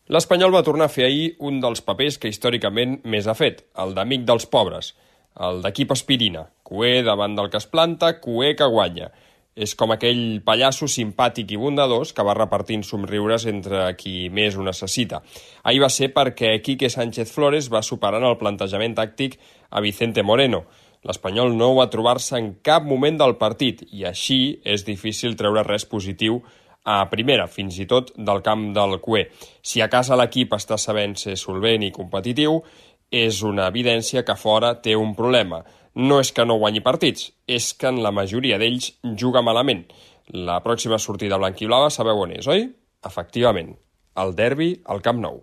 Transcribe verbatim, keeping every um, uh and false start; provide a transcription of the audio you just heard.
L'Espanyol va tornar a fer ahir un dels papers que històricament més ha fet, el d'amic dels pobres, el d'equip aspirina, cuer davant del que es planta, cuer que guanya. És com aquell pallasso simpàtic i bondadós que va repartint somriures entre qui més ho necessita. Ahir va ser perquè Quique Sánchez Flores va superar en el plantejament tàctic a Vicente Moreno. L'Espanyol no va trobar-se en cap moment del partit i així és difícil treure res positiu a primera, fins i tot del camp del cuer. Si a casa l'equip està sabent ser solvent i competitiu, és una evidència que fora té un problema. No és que no guanyi partits, és que en la majoria d'ells juga malament. La pròxima sortida blanquiblava sabeu on és, oi? Efectivament, el derbi al Camp Nou.